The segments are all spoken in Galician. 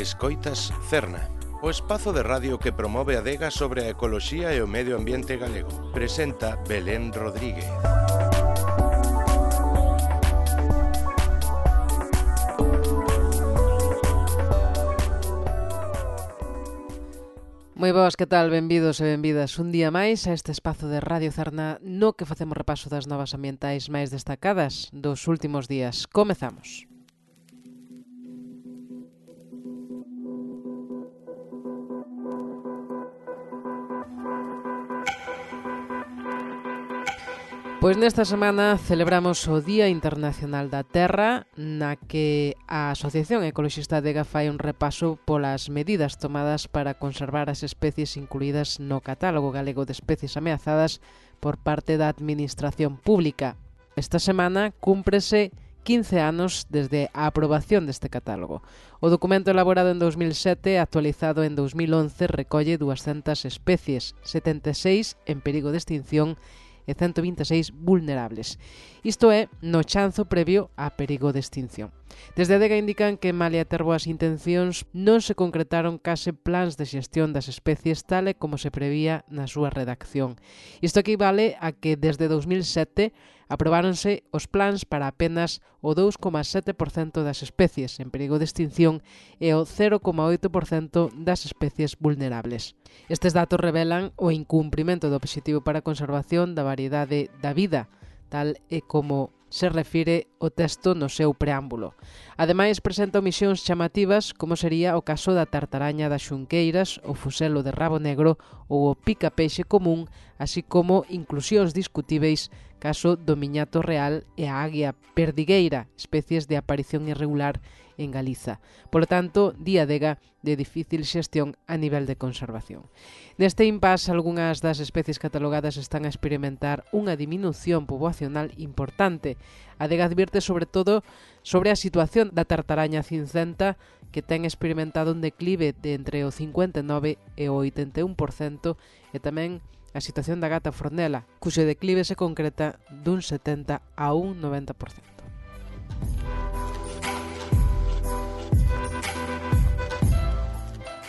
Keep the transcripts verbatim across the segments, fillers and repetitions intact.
Escoitas Cerna, o espazo de radio que promove a adega sobre a ecoloxía e o medio ambiente galego. Presenta Belén Rodríguez. Moi boas, que tal? Benvidos e benvidas un día máis a este espazo de Radio Cerna no que facemos repaso das novas ambientais máis destacadas dos últimos días. Comezamos. Pois nesta semana celebramos o Día Internacional da Terra, na que a Asociación Ecoloxista Adega fai un repaso polas medidas tomadas para conservar as especies incluídas no Catálogo Galego de Especies Ameazadas por parte da Administración Pública. Esta semana cúmprese quince anos desde a aprobación deste catálogo. O documento elaborado en dos mil sete e actualizado en dos mil once recolle duascentas especies, setenta e seis en perigo de extinción e ciento vinte e seis vulnerables. Isto é no chanzo previo a perigo de extinción. Desde a Adega indican que, malia ter boas intencións, non se concretaron case plans de xestión das especies tal e como se prevía na súa redacción. Isto equivale a que desde dos mil sete aprobáronse os plans para apenas o dous coma sete por cento das especies en perigo de extinción e o cero coma oito por cento das especies vulnerables. Estes datos revelan o incumprimento do Obxectivo para a Conservación da Variedade da Vida, tal e como se refire o texto no seu preámbulo. Ademais, presenta omisións chamativas, como sería o caso da tartaraña das xunqueiras, o fuselo de rabo negro ou o pica-peixe común, así como inclusións discutíveis caso do miñato real e a águia perdigueira, especies de aparición irregular en Galiza. Polo tanto, Día Adega de difícil xestión a nivel de conservación. Neste impasse, algunhas das especies catalogadas están a experimentar unha diminución poboacional importante. A Adega advierte sobre todo sobre a situación da tartaraña cincenta, que ten experimentado un declive de entre o cincuenta e nove e o oitenta e un por cento, e tamén a situación da gata fornela, cuxo declive se concreta dun setenta a un noventa por cento.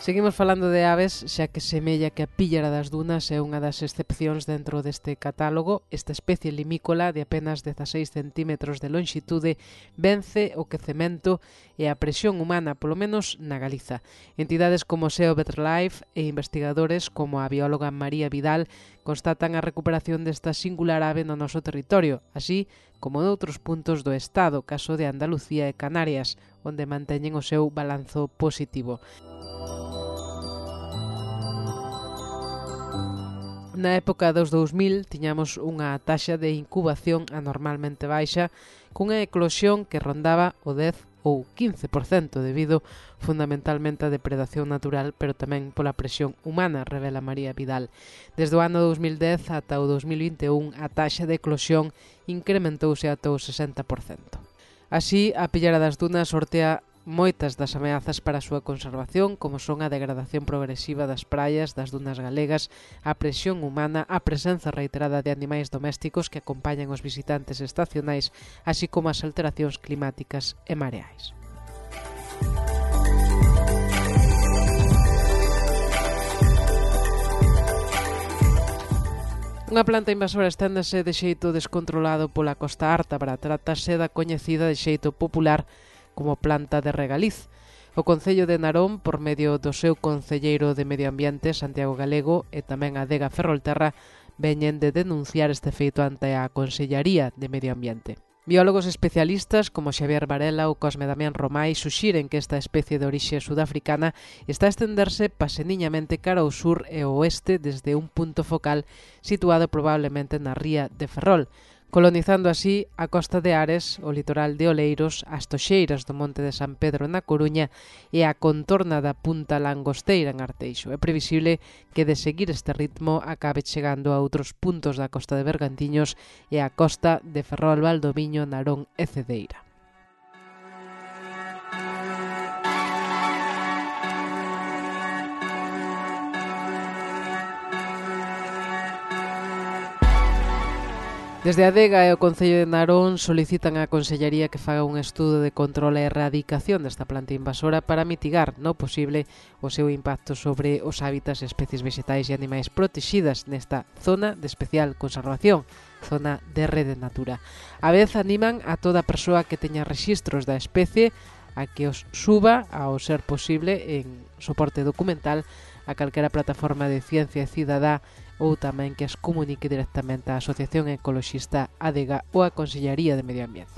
Seguimos falando de aves, xa que semella que a píllara das dunas é unha das excepcións dentro deste catálogo. Esta especie limícola de apenas dezaseis centímetros de lonxitude vence o quecemento e a presión humana, polo menos na Galiza. Entidades como SEO Better Life e investigadores como a bióloga María Vidal constatan a recuperación desta singular ave no noso territorio, así como noutros puntos do Estado, caso de Andalucía e Canarias, onde manteñen o seu balanzo positivo. Na época dos dous mil tiñamos unha taxa de incubación anormalmente baixa, cunha eclosión que rondaba o dez ou quince por cento debido fundamentalmente á depredación natural, pero tamén pola presión humana, revela María Vidal. Desde o ano dos mil dez ata o dos mil vinte e un a taxa de eclosión incrementouse ata o sesenta por cento. Así, a píllara das dunas sortea moitas das ameazas para a súa conservación, como son a degradación progresiva das praias, das dunas galegas, a presión humana, a presenza reiterada de animais domésticos que acompañan os visitantes estacionais, así como as alteracións climáticas e mareais. Unha planta invasora esténdese de xeito descontrolado pola Costa Ártabra. Trátase da coñecida de xeito popular como planta de regaliz. O Concello de Narón, por medio do seu concelleiro de Medio Ambiente, Santiago Galego, e tamén a Adega Ferrolterra, veñen de denunciar este feito ante a Consellaría de Medio Ambiente. Biólogos especialistas como Xavier Varela ou Cosme Damián Romai suxiren que esta especie de orixe sudafricana está a estenderse paseniñamente cara ao sur e ao oeste desde un punto focal situado probablemente na ría de Ferrol, colonizando así a costa de Ares, o litoral de Oleiros, as toxeiras do Monte de San Pedro na Coruña e a contorna da Punta Langosteira en Arteixo. É previsible que, de seguir este ritmo, acabe chegando a outros puntos da costa de Bergantiños e a costa de Ferrol, Valdoviño, Narón e Cedeira. Desde a Adega e o Concello de Narón solicitan á Consellería que faga un estudo de control e erradicación desta planta invasora para mitigar, no posible, o seu impacto sobre os hábitats e especies vegetais e animais protegidas nesta zona de especial conservación, zona de Rede Natura. A vez animan a toda persoa que teña rexistros da especie a que os suba, ao ser posible, en soporte documental a calquera plataforma de ciencia cidadá ou tamén que as comunique directamente á Asociación Ecoloxista Adega ou á Consellería de Medio Ambiente.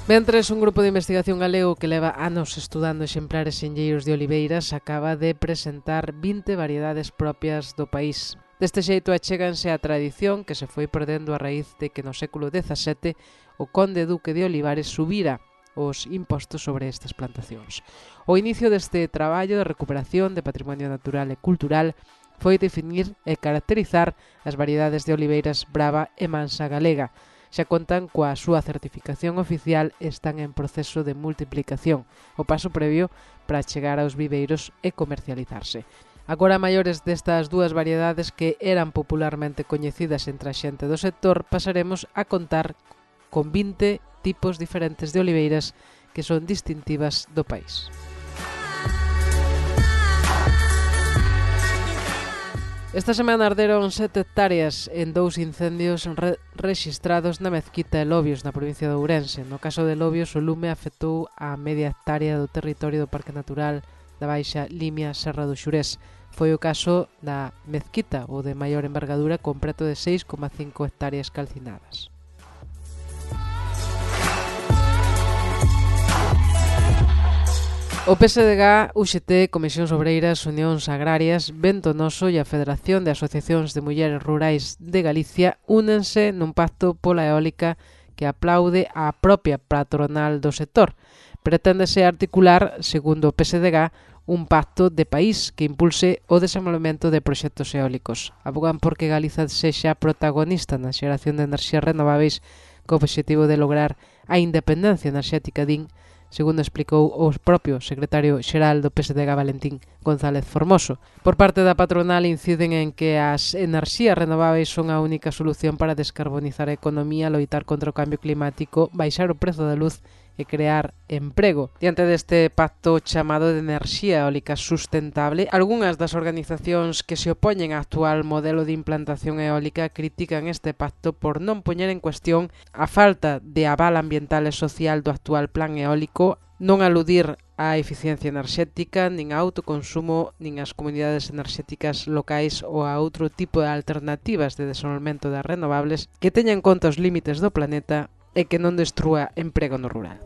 Mentres, un grupo de investigación galego que leva anos estudando exemplares enlleiros de oliveiras acaba de presentar vinte variedades propias do país. Deste xeito achéganse a tradición que se foi perdendo a raíz de que no século dezasete o conde duque de Olivares subira os impostos sobre estas plantacións. O inicio deste traballo de recuperación de patrimonio natural e cultural foi definir e caracterizar as variedades de oliveiras brava e mansa galega. Xa contan coa súa certificación oficial e están en proceso de multiplicación, o paso previo para chegar aos viveiros e comercializarse. Agora, maiores destas dúas variedades que eran popularmente coñecidas entre a xente do sector, pasaremos a contar con vinte tipos diferentes de oliveiras que son distintivas do país. Esta semana arderon sete hectáreas en dous incendios re rexistrados na Mezquita e Lobios, na provincia de Ourense. No caso de Lobios, o lume afectou a media hectárea do territorio do Parque Natural da Baixa Limia Serra do Xurés. Foi o caso da Mezquita, o de maior envergadura, con preto de seis coma cinco hectáreas calcinadas. O P S D G, U X T, Comisións Obreiras, Unións Agrarias, Vento Noso e a Federación de Asociacións de Mulleres Rurais de Galicia únense nun pacto pola eólica que aplaude a propia patronal do sector. Preténdese articular, segundo o P S D G, un pacto de país que impulse o desenvolvemento de proxectos eólicos. Abogan porque Galiza sexa protagonista na xeración de enerxías renováveis co obxectivo de lograr a independencia enerxética, din, segundo explicou o propio secretario xeral do P S D G, Valentín González Formoso. Por parte da patronal inciden en que as enerxías renováveis son a única solución para descarbonizar a economía, loitar contra o cambio climático, baixar o prezo da luz e crear emprego. Diante deste pacto chamado de enerxía eólica sustentable, algunhas das organizacións que se opoñen ao actual modelo de implantación eólica critican este pacto por non poñer en cuestión a falta de aval ambiental e social do actual plan eólico, non aludir á eficiencia enerxética, nin ao autoconsumo, nin ás comunidades enerxéticas locais ou a outro tipo de alternativas de desenvolvemento das renovables que teñan en conta os límites do planeta e que non destrúa emprego no rural.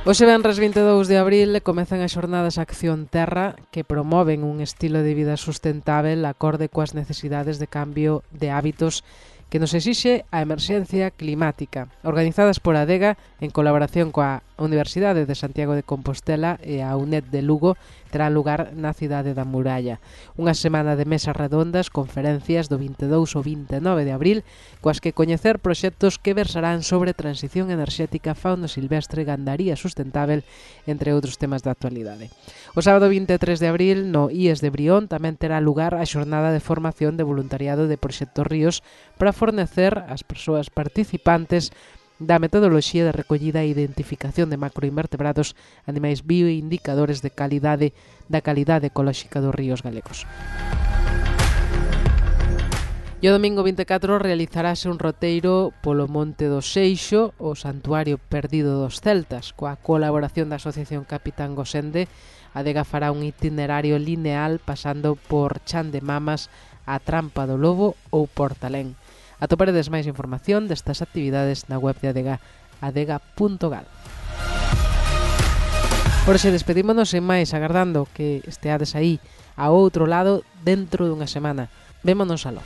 Hoxe venres vinte e dous de abril comezan as xornadas Acción Terra que promoven un estilo de vida sustentável acorde coas necesidades de cambio de hábitos que nos exixe a emerxencia climática, organizadas por Adega en colaboración coa Universidade de Santiago de Compostela e a UNED de Lugo, terá lugar na cidade da Muralla. Unha semana de mesas redondas, conferencias do vinte e dous ao vinte e nove de abril, coas que coñecer proxectos que versarán sobre transición enerxética, fauna silvestre, gandaría sustentável, entre outros temas da actualidade. O sábado vinte e tres de abril, no I E S de Brión, tamén terá lugar a xornada de formación de voluntariado de Proxecto Ríos para fornecer ás persoas participantes da metodoloxía de recollida e identificación de macroinvertebrados, animais bioindicadores de calidade da calidade ecolóxica dos ríos galegos. E o domingo vinte e catro realizarase un roteiro polo Monte do Seixo, o santuario perdido dos celtas, coa colaboración da Asociación Capitán Gosende. A Adega fará un itinerario lineal pasando por Chan de Mamas, a Trampa do Lobo ou Portalén. Atoparedes máis información destas actividades na web de Adega, adega punto gal. Por hoxe despedímonos en máis, agardando que esteades aí ao outro lado dentro dunha semana. Vémonos aló.